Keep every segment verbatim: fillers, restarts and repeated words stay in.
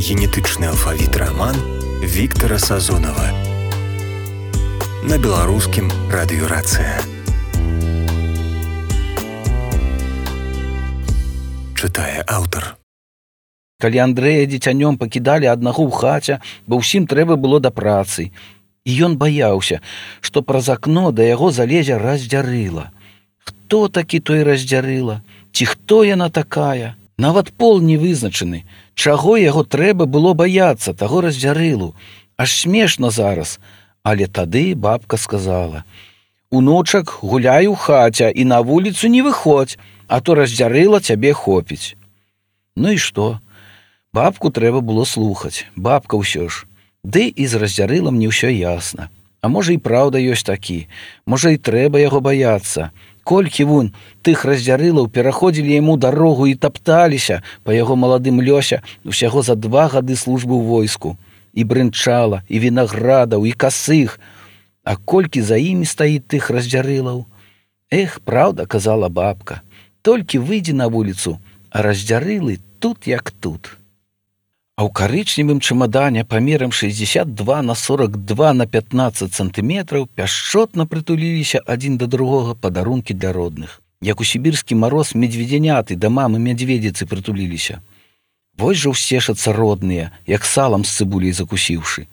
Генетычны алфавіт раман Віктара Сазонава на беларускім радыёрацыя. Чытае аўтар. Калі Андрэя дзіцянём пакідалі аднаго ў хаце, бо ўсім трэба было да працы. І ён баяўся, што праз акно да яго залезе раздзярыла. Хто такі той раздзярыла? Ці хто яна такая? Нават пол не вызначаны. Чаго яго трэба было баяцца, таго раздзярылу? Аж смешна зараз. Але тады бабка сказала: «Унучак, гуляй у хаце і на вуліцу не выходзь, а то раздзярыла цябе хопіць». Ну і што? Бабку трэба было слухаць. Бабка ўсё ж. Ды і з раздзярылам не ўсё ясна. А можа і праўда ёсць такі. Можа і трэба яго баяцца. Колькі вунь тых раздзярылаў пераходзілі яму дарогу і тапталіся па яго маладым лёсе усяго за два гады службы ў войску. І брынчала, і вінаградаў, і касых. А колькі за імі стаіць тых раздзярылаў? Эх, праўда, казала бабка. Толькі выйдзі на вуліцу, а раздзярылы тут як тут. А ў карычневым чамадане памерам шэсцьдзесят два на сорок два на пятнаццаць сантыметраў пяшчотна прытуліліся адзін да другога падарункі для родных. Як у сібірскі мароз медведзяняты да мамы мядзведзіцы прытуліліся. Вось жа ўсцешацца родныя, як салам з цыбуляй закусіўшы.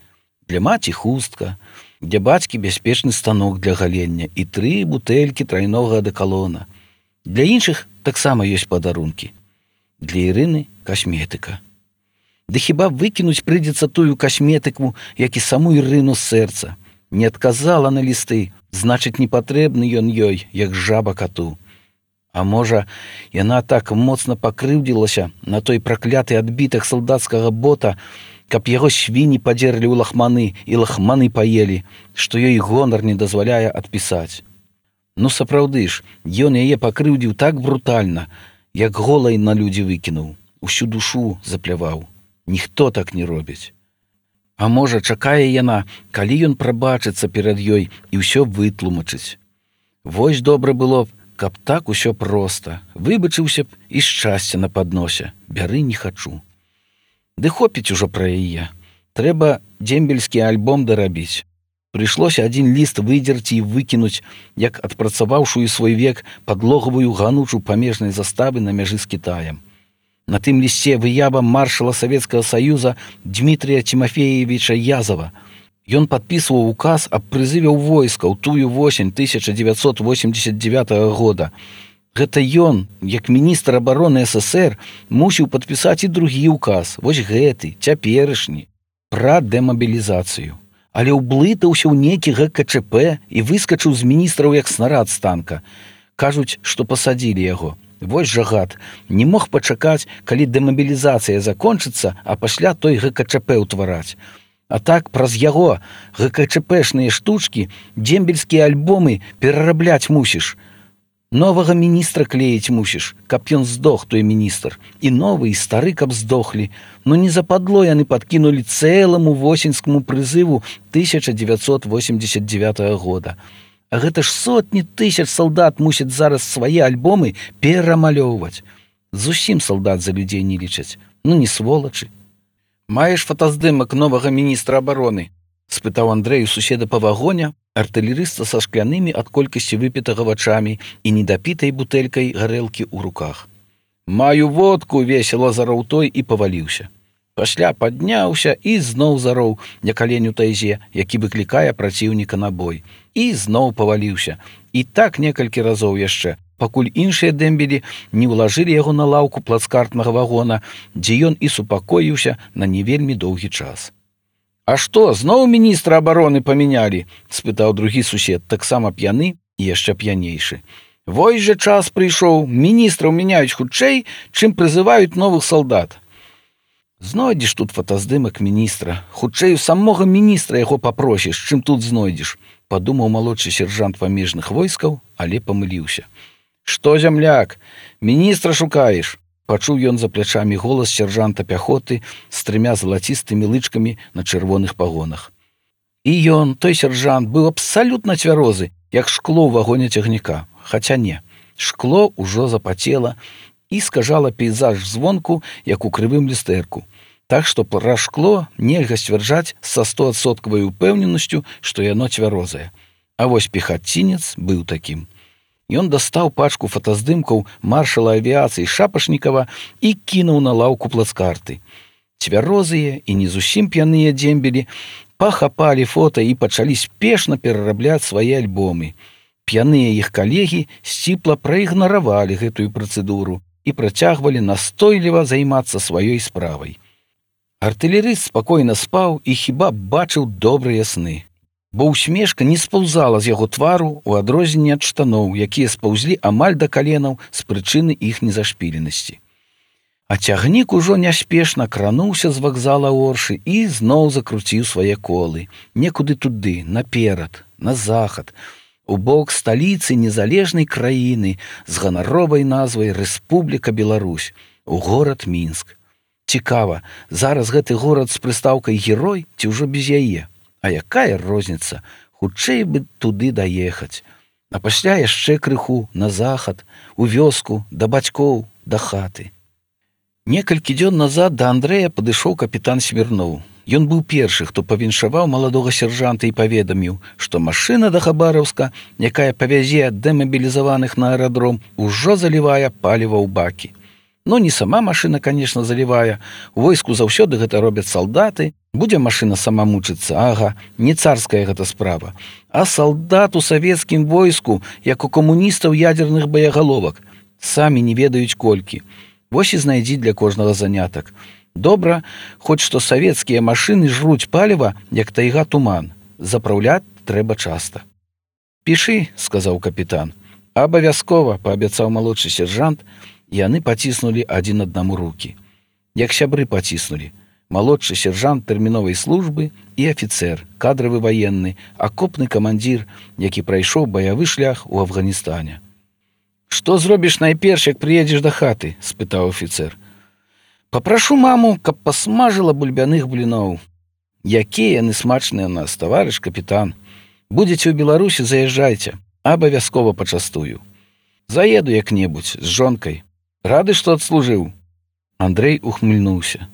Для маці хустка, для бацькі бяспечны станок для галення і тры бутэлькі трайнога адэкалона. Для іншых таксама ёсць падарункі. Для Ірыны касметыка. Ды хіба выкінуць прыйдзецца тую касметыку, як і саму Ірыну з сэрца. Не адказала на лісты, значыць, не патрэбны ён ёй, як жаба кату. А можа, яна так моцна пакрыўдзілася на той пракляты адбітак салдацкага бота, каб яго свіні падзерлі ў лахманы і лахманы паелі, што ёй гонар не дазваляе адпісаць. Ну сапраўды ж, ён яе пакрыўдзіў так брутальна, як голай на людзі выкінуў, усю душу запляваў. Ніхто так не робіць. А можа, чакае яна, калі ён прабачыцца перад ёй і ўсё вытлумачыць. Вось добра было б, каб так усё проста. Выбачыўся б і шчасце на падносе. Бяры не хачу. Ды хопіць ужо пра яе. Трэба дзембельскі альбом дарабіць. Прыйшлося адзін ліст выдзерці і выкінуць, як адпрацаваўшую свой век падлогавую ганучу памежнай заставы на мяжы з Кітаем. На тым лісце выява маршала Савецкага Саюза Дмітрія Тимофеевича Язова. Ён падпісваў указ аб прызыве ў войска ў тую восень тысяча дзевяцьсот восемьдесят девятого года. Гэта ён, як міністр абароны СССР, мусіў падпісаць і другі указ, вось гэты, цяперашні, пра дэмабілізацыю. Але ўблытаўся ў нейкі ГКЧП і выскачыў з міністраў як снарад з танка. Кажуць, што пасадзілі яго. Вось жа гад, не мог пачакаць, калі дэмабілізацыя закончыцца, а пасля той ГКЧП ўтвараць. А так праз яго ГКЧПшныя штучкі, дзембельскія альбомы перарабляць мусіш. Новага міністра клеіць мусіш, каб ён здох, той міністр. І новы, і стары, каб здохлі. Но не западло яны падкінулі цэламу восеньскаму прызыву тысяча дзевяцьсот восемьдесят девятого года. А гэта ж сотні тысяч салдат мусяць зараз свае альбомы перамалёўваць. Зусім салдат за людзей не лічаць. Ну не сволачы. Маеш фотаздымак новага міністра абароны? Спытаў Андрэй у суседа па вагоне, артылерыста са шклянымі ад колькасці выпітага вачамі і недапітай бутэлькай гарэлкі ў руках. Маю водку, весела зароў той і паваліўся. Пасля падняўся і зноў зароў на каленю тайзе, які выклікае праціўніка на бой. І зноў паваліўся. І так некалькі разоў яшчэ, пакуль іншыя дэмбелі не ўлажылі яго на лаўку плацкартнага вагона, дзе ён і супакоіўся на не вельмі доўгі час. А што, зноў міністра абароны памянялі? Спытаў другі сусед, таксама п'яны і яшчэ п'янейшы. Вось жа час прыйшоў, міністраў мяняюць хутчэй, чым прызываюць новых салдат. Знойдзеш тут фотаздымак міністра. Хутчэй у самога міністра яго папросіш, чым тут знойдзеш, падумаў малодшы сержант памежных войскаў, але памыліўся. Што, зямляк, міністра шукаеш? Пачуў ён за плячамі голас сержанта пяхоты з трымя залацістымі лычкамі на чырвоных пагонах. І ён, той сержант, быў абсалютна цвярозы, як шкло ў вагоне цягніка. Хаця не, шкло ўжо запацела і скажала пейзаж звонку, як у крывым люстэрку. Так што пра шкло нельга сцвярджаць са стоадсоткавай упэўненасцю, што яно цвярозае. А вось пехацінец быў такім. Ён дастаў пачку фотаздымкаў маршала авіяцыі Шапашнікава і кінуў на лаўку плацкарты. Цвярозыя і не зусім п'яныя дзембелі пахапалі фота і пачалі спешна перарабляць свае альбомы. П'яныя іх калегі сціпла праігнаравалі гэтую працэдуру і працягвалі настойліва займацца сваёй справай. Артылерыст спакойна спаў і хіба бачыў добрыя сны, бо усмешка не спаўзала з яго твару ў адрозненне ад штаноў, якія спаўзлі амаль да каленаў з прычыны іх незашпіленасці. А цягнік ужо няспешна крануўся з вакзала Оршы і зноў закруціў свае колы, некуды туды, наперад, на захад, у бок сталіцы незалежнай краіны з ганаровай назвай Рэспубліка Беларусь, у горад Мінск. Цікава, зараз гэты горад з прыстаўкай герой ці ўжо без яе? А якая розніца? Хутчэй бы туды даехаць. А пасля яшчэ крыху на захад, у вёску, да бацькоў, да хаты. Некалькі дзён назад да Андрэя падышоў капітан Смірноў. Ён быў першы, хто павіншаваў маладога сяржанта і паведаміў, што машына да Хабараўска, якая павязе дэмабілізаваных на аэрадром, ужо залівае паліва ў бакі. Ну, не сама машына, конечно, залівае. У войску заўсёды гэта робяць салдаты. Будзе машына сама мучыцца, ага, не царская гэта справа. А салдат у савецкім войску, як у камуністаў ядзерных баягаловак. Самі не ведаюць колькі. Вось і знайдзі для кожнага занятак. Добра, хоць што савецкія машыны жруць паліва, як тайга туман. Запраўляць трэба часта. «Пішы», — сказаў капітан. «Абавязкова», — паабяцаў малодшы сержант. Яны паціснулі адзін аднаму рукі. Як сябры паціснулі. Малодшы сержант тэрміновай службы і афіцэр, кадравы ваенны, акопны камандзір, які прайшоў баявы шлях у Афганістане. «Што зробіш найперш, як прыедзеш да хаты?» — спытаў афіцэр. «Папрашу маму, каб пасмажыла бульбяных бліноў». «Якія яны смачныя ў нас, таварыш капітан. Будзеце ў Беларусі, заязджайце, абавязкова пачастую. Заеду як-небудзь з жонкай. Рады, што адслужыў?» Андрэй ухмыльнуўся.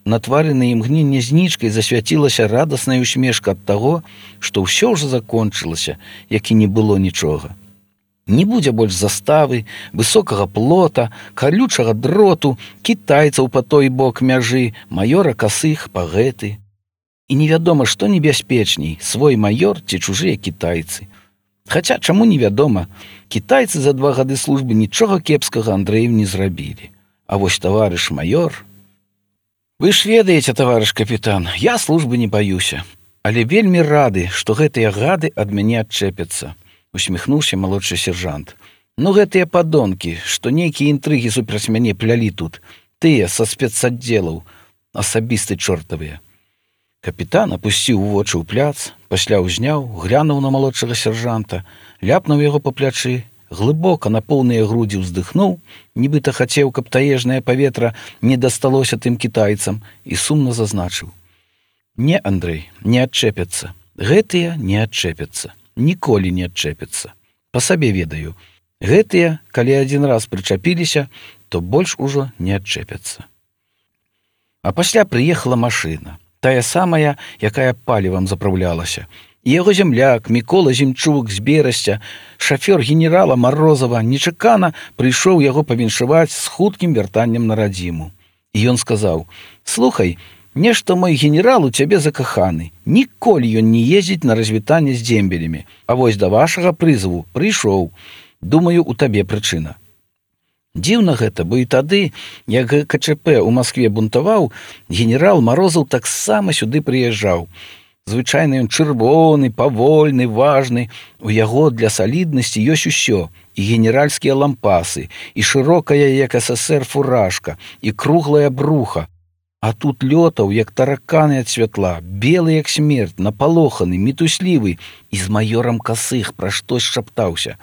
На твары на імгненне знічкай засвяцілася радасная усмешка ад таго, што ўсё ўжо закончылася, як і не было нічога. Не будзе больш заставы, высокага плота, калючага дроту, кітайцаў па той бок мяжы, маёра касых пагэты. І невядома, што небяспечней, свой маёр ці чужыя кітайцы. Хаця, чаму невядома, кітайцы за два гады службы нічога кепскага Андрэем не зрабілі. А вось таварыш маёр... «Вы ж ведаеце, таварыш капітан, я службы не баюся, але вельмі рады, што гэтыя гады ад мяне адчэпяцца», — усміхнуўся малодшы сержант. «Ну гэтыя падонкі, што нейкія інтрыгі супраць мяне плялі тут, тыя са спецаддзелаў, асабісты чортавыя». Капітан апусціў вочы ў пляц, пасля ўзняў, глянуў на малодшага сержанта, ляпнуў яго па плячы, глыбока на поўныя грудзі ўздыхнуў, нібыта хацеў, каб таежнае паветра не дасталося тым кітайцам, і сумна зазначыў: «Не, Андрэй, не адчэпяцца. Гэтыя не адчэпяцца. Ніколі не адчэпяцца. Па сабе ведаю. Гэтыя, калі адзін раз прычапіліся, то больш ужо не адчэпяцца». А пасля прыехала машына. Тая самая, якая палівам запраўлялася. І яго зямляк Мікола Зімчук з Берасця, шафёр генерала Марозава, нечакана прыйшоў яго павіншаваць з хуткім вяртаннем на радзіму. І ён сказаў: «Слухай, нешта мой генерал у цябе закаханы. Ніколі ён не ездзіць на развітанне з дзембелямі. А вось да вашага прызыву прыйшоў. Думаю, у табе прычына». Дзіўна гэта, бо і тады, як ка чэ пэ ў Маскве бунтаваў, генерал Марозаў таксама сюды прыязджаў. Звычайна ён чырвоны, павольны, важны. У яго для саліднасці ёсць усё. І генеральскія лампасы, і шырокая, як эс эс ер, фуражка, і круглая бруха. А тут лётаў, як тараканы ад святла, белы, як смерць, напалоханы, мітуслівы, і з маёрам касых пра штось шаптаўся.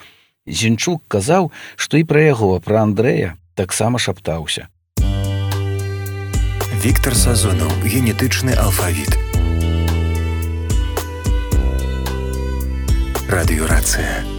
Зінчук казаў, што і пра яго, пра Андрэя, таксама шаптаўся. Віктар Сазонаў. Генетычны алфавіт. Радыёрацыя.